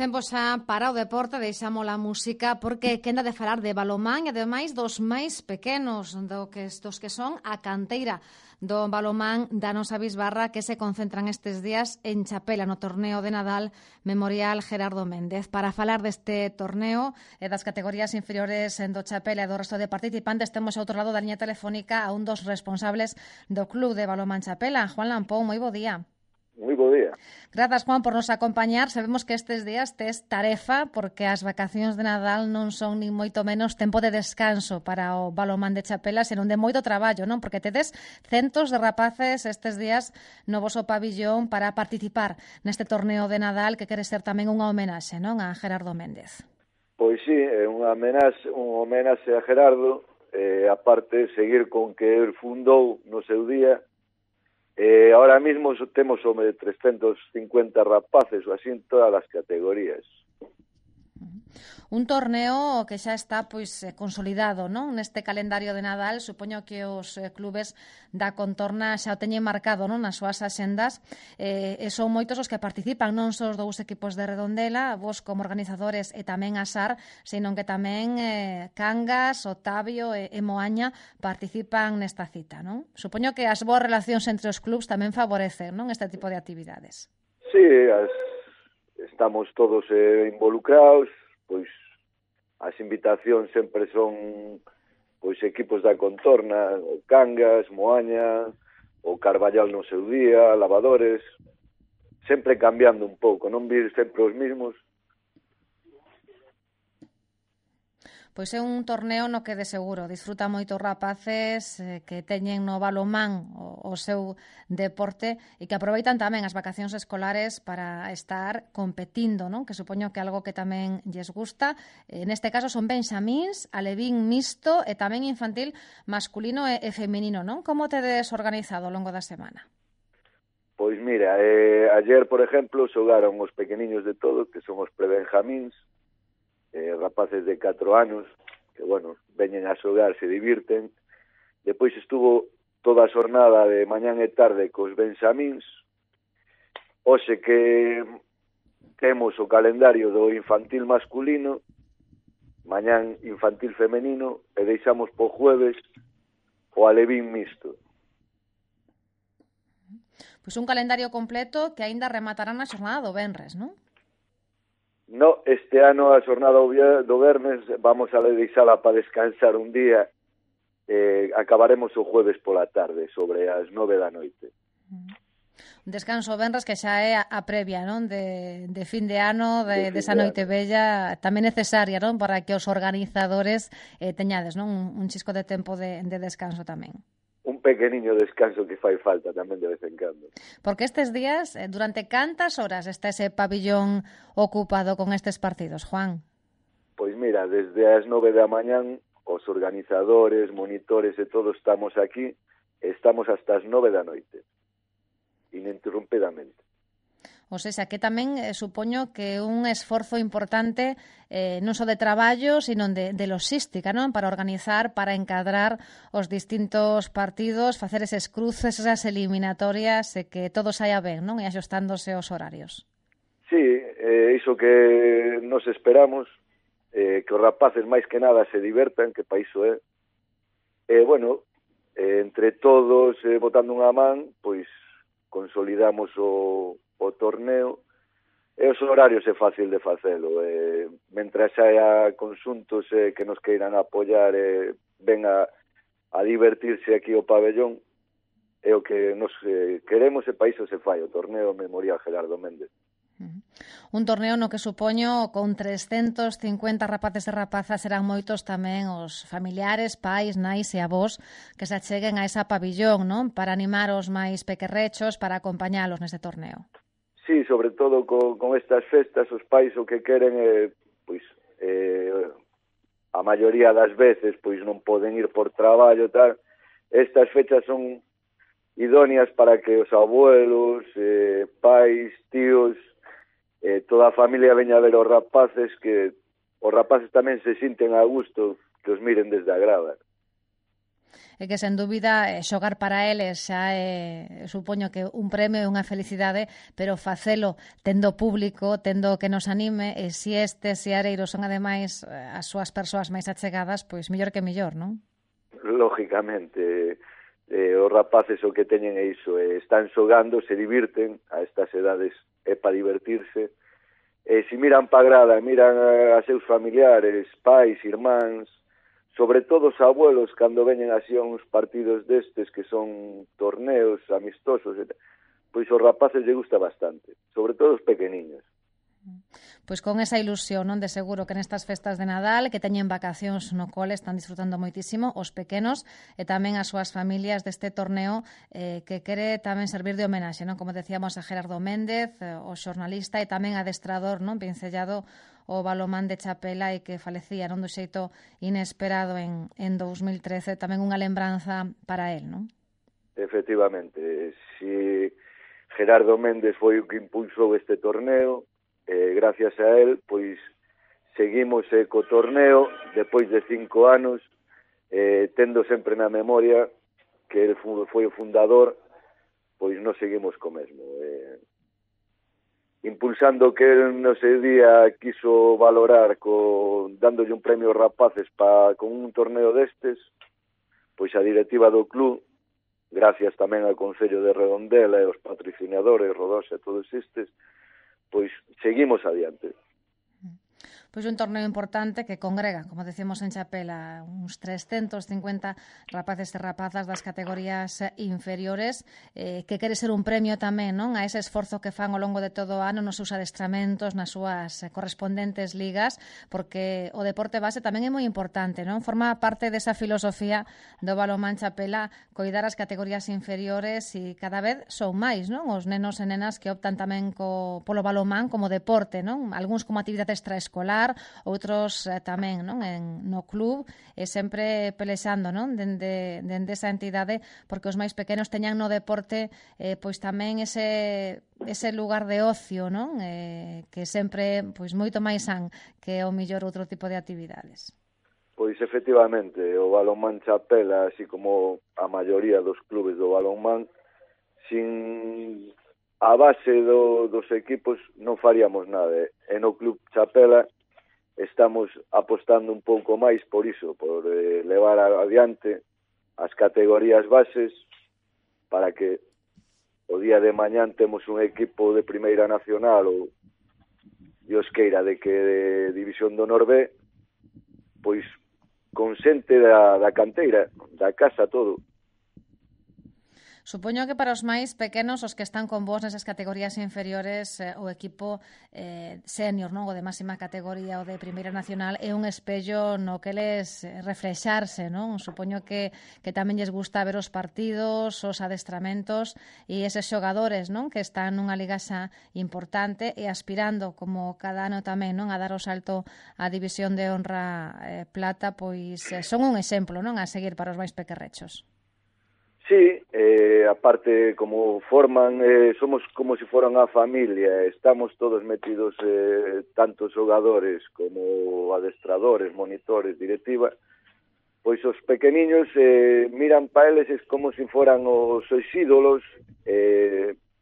tempo xa para o deporte, deixamos a música porque quenda de falar de balomán e ademais dos máis pequenos, dos que son a canteira do balomán da nosa bisbarra que se concentran estes días en Chapela no torneo de Nadal Memorial Gerardo Méndez. Para falar deste torneo e das categorías inferiores do Chapela e do resto de participantes temos ao outro lado da liña telefónica a un dos responsables do Club de Balomán Chapela, Juan Lampón. Moi bo día. Moi bo día. Grazas, Juan, por nos acompañar. Sabemos que estes días tes tarefa porque as vacacións de Nadal non son nin moito menos tempo de descanso para o balomán de Chapela, senón de moito traballo, non? Porque tedes centos de rapaces estes días no voso pabillón para participar neste torneo de Nadal que quere ser tamén unha homenaxe, non? A Gerardo Méndez. Pois sí, é unha homenaxe a Gerardo, aparte seguir con que el fundou no seu día. Ahora mismo temos sobre 350 rapaces ou así en todas as categorías. Un torneo que xa está consolidado, non? Neste calendario de Nadal, supoño que os clubes da contorna xa o teñen marcado, non? Nas súas axendas, e son moitos os que participan, non só os dous equipos de Redondela, vos como organizadores e tamén a SAR, senón que tamén Cangas, Otavio e Moaña participan nesta cita, non? Supoño que as boas relacións entre os clubs tamén favorecen, non? Este tipo de actividades. Sí, estamos todos involucrados, pois as invitacións sempre son pois equipos da contorna, o Cangas, Moaña, o Carballal no seu día, Lavadores, sempre cambiando un pouco, non vir sempre os mismos. Pois é un torneo no que de seguro disfruta moitos rapaces que teñen no balomán o seu deporte e que aproveitan tamén as vacacións escolares para estar competindo, non? Que supoño que algo que tamén lles gusta. Neste caso son benxamíns, alevín mixto e tamén infantil masculino e feminino, non? Como tedes organizado ao longo da semana? Pois mira, ayer, por exemplo, xogaron os pequeniños de todo, que son os prebenjamíns, rapaces de 4 anos, que, bueno, veñen a xogar, se divirten. Depois estuvo toda a xornada de mañán e tarde cos benxamíns. Hoxe que temos o calendario do infantil masculino, mañán infantil femenino, e deixamos po jueves o alevín mixto. Pois un calendario completo que aínda rematará na xornada do venres, non? No, este ano a xornada do vernes vamos a deixala para descansar un día. Acabaremos o jueves pola tarde, sobre as 9 da noite. Un descanso venres que xa é a previa, non? De fin de ano, desa noite bella, tamén necesaria, non? Para que os organizadores teñades, non? Un chisco de tempo de descanso tamén. Un pequeniño descanso que fai falta tamén de vez en cando. Porque estes días, durante cantas horas está ese pabillón ocupado con estes partidos, Juan? Pois mira, desde as 9 da mañán, os organizadores, monitores e todos estamos aquí, estamos hasta as 9 da noite, ininterrumpidamente. O sea, que tamén supoño que un esforzo importante non só de traballo, sino de logística, non? Para organizar, para encadrar os distintos partidos, facer eses cruces, esas eliminatorias, e que todo saia ben, non? E axustándose os horarios. Sí, iso que nos esperamos, que os rapaces máis que nada se divertan, que pa iso é. Bueno, entre todos, botando unha man, pois consolidamos o torneo, e os horarios é fácil de facelo. Mentras haya conxuntos que nos queiran apoiar e ven a divertirse aquí o pabellón, é o que nos queremos, e pa iso se fai o torneo Memorial Gerardo Méndez. Un torneo no que supoño con 350 rapaces e rapazas serán moitos tamén os familiares, pais, nais e avós que se acheguen a esa pabillón, non? Para animar os máis pequerrechos, para acompañalos neste torneo. Sí, sobre todo con estas festas, os pais o que queren pois, a maioría das veces pois non poden ir por traballo, tal. Estas fechas son idóneas para que os abuelos, pais, tíos, toda a familia veña a ver os rapaces, que os rapaces tamén se sinten a gusto, que os miren desde a grada. E que, sen dúbida, xogar para eles xa supoño que un premio e unha felicidade, pero facelo tendo público, tendo que nos anime, e se estes seareiros son, ademais, as súas persoas máis achegadas, pois mellor que mellor, non? Lógicamente, os rapaces o que teñen é iso, están xogando, se divirten, a estas edades é para divertirse, e se miran pa grada, miran a seus familiares, pais, irmáns, sobre todo os abuelos, cando veñen así a uns partidos destes que son torneos amistosos, pois os rapaces lle gusta bastante, sobre todo os pequeniños. Pois con esa ilusión, non, de seguro que nestas festas de Nadal, que teñen vacacións no cole, están disfrutando moitísimo os pequenos e tamén as súas familias deste torneo que quere tamén servir de homenaxe, non? Como decíamos, a Gerardo Méndez, o xornalista e tamén adestrador, non, pincellado o balomán de Chapela e que falecía, non, do xeito inesperado en 2013, tamén unha lembranza para él, non? Efectivamente, si Gerardo Méndez foi o que impulsou este torneo, gracias a él, pois seguimos co torneo depois de 5 anos, tendo sempre na memoria que ele foi o fundador, pois nos seguimos co mesmo. Impulsando que el no seu día quiso valorar dándolle un premio aos rapaces con un torneo destes, pois a directiva do club, gracias tamén ao Concello de Redondela e aos patrocinadores, Rodosa e todos estes, pois seguimos adiante. Pois un torneo importante que congrega, como decimos en Chapela, uns 350 rapaces e rapazas das categorías inferiores, que quere ser un premio tamén, non, a ese esforzo que fan ao longo de todo o ano nos seus adestramentos, nas súas correspondentes ligas, porque o deporte base tamén é moi importante, non? Forma parte desa filosofía do balonmán Chapela, coidar as categorías inferiores e cada vez son máis, non, os nenos e nenas que optan tamén polo balonmán como deporte, non? Algúns como actividade extraescolar, outros tamén, non, no club, e sempre pelexando, non, dende esa entidade, porque os máis pequenos teñan no deporte pois tamén ese lugar de ocio, non, que sempre pois moito máis san que o millor outro tipo de actividades. Pois efectivamente, o balonmán Chapela, así como a maioría dos clubes do balonmán, sin a base dos equipos non faríamos nada. E no club Chapela estamos apostando un pouco máis por iso, por levar adiante as categorías bases para que o día de mañán temos un equipo de Primeira Nacional ou Dios queira de que de División do Honor B, pois con xente da canteira, da casa, todo. Supoño que para os máis pequenos, os que están con vos nesas categorías inferiores, o equipo senior, non, o de máxima categoría, o de Primeira Nacional, é un espello no que les reflexarse, non? Supoño que tamén lles gusta ver os partidos, os adestramentos e eses xogadores, non, que están nunha liga xa importante e aspirando, como cada ano tamén, non, a dar o salto á División de Honra Plata, pois son un exemplo, non, a seguir para os máis pequerrechos. Sí, aparte como forman, somos como se foran a familia, estamos todos metidos, tanto xogadores como adestradores, monitores, directiva, pois os pequeniños miran pa eles como se foran os seus ídolos,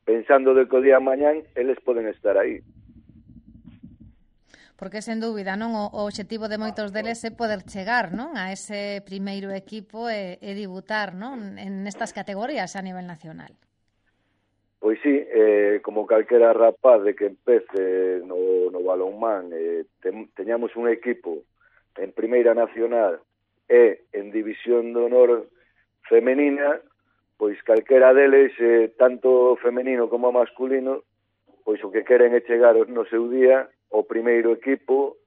pensando de que o día a mañán eles poden estar aí. Porque, sen dúbida, non, o obxectivo de moitos deles é poder chegar, non, a ese primeiro equipo e debutar, non, en estas categorías a nivel nacional. Pois sí, como calquera rapaz de que empece no balonmán, teñamos un equipo en Primeira Nacional e en División de Honor femenina, pois calquera deles, tanto femenino como masculino, pois o que queren é chegar no seu día o primeiro equipo,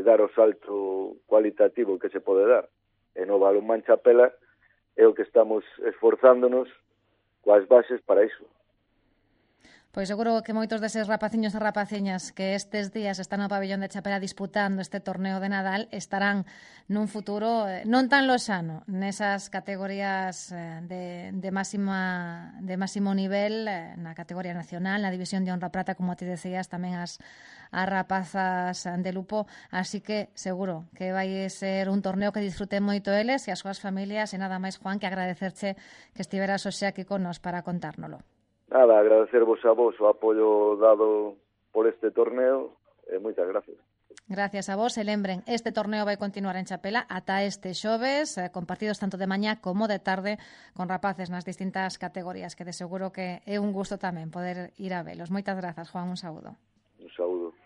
dar o salto cualitativo que se pode dar. E no balonmán Chapela é o que estamos esforzándonos coas bases para iso. Pois seguro que moitos deses rapaciños e rapaciñas que estes días están no pabellón de Chapela disputando este torneo de Nadal estarán nun futuro non tan loxano nesas categorías de máximo nivel, na categoría nacional, na división de honra prata, como ti decías, tamén as rapazas de Lupo, así que seguro que vai ser un torneo que disfruten moito eles e as súas familias, e nada máis, Juan, que agradecerche que estiveras hoxe aquí con nos para contárnolo. Nada, agradecervos a vos o apoio dado por este torneo e moitas gracias. Gracias a vos, e lembren, este torneo vai continuar en Chapela ata este xoves, con partidos tanto de mañá como de tarde, con rapaces nas distintas categorías, que de seguro que é un gusto tamén poder ir a velos. Moitas grazas, Juan, un saúdo. Un saúdo.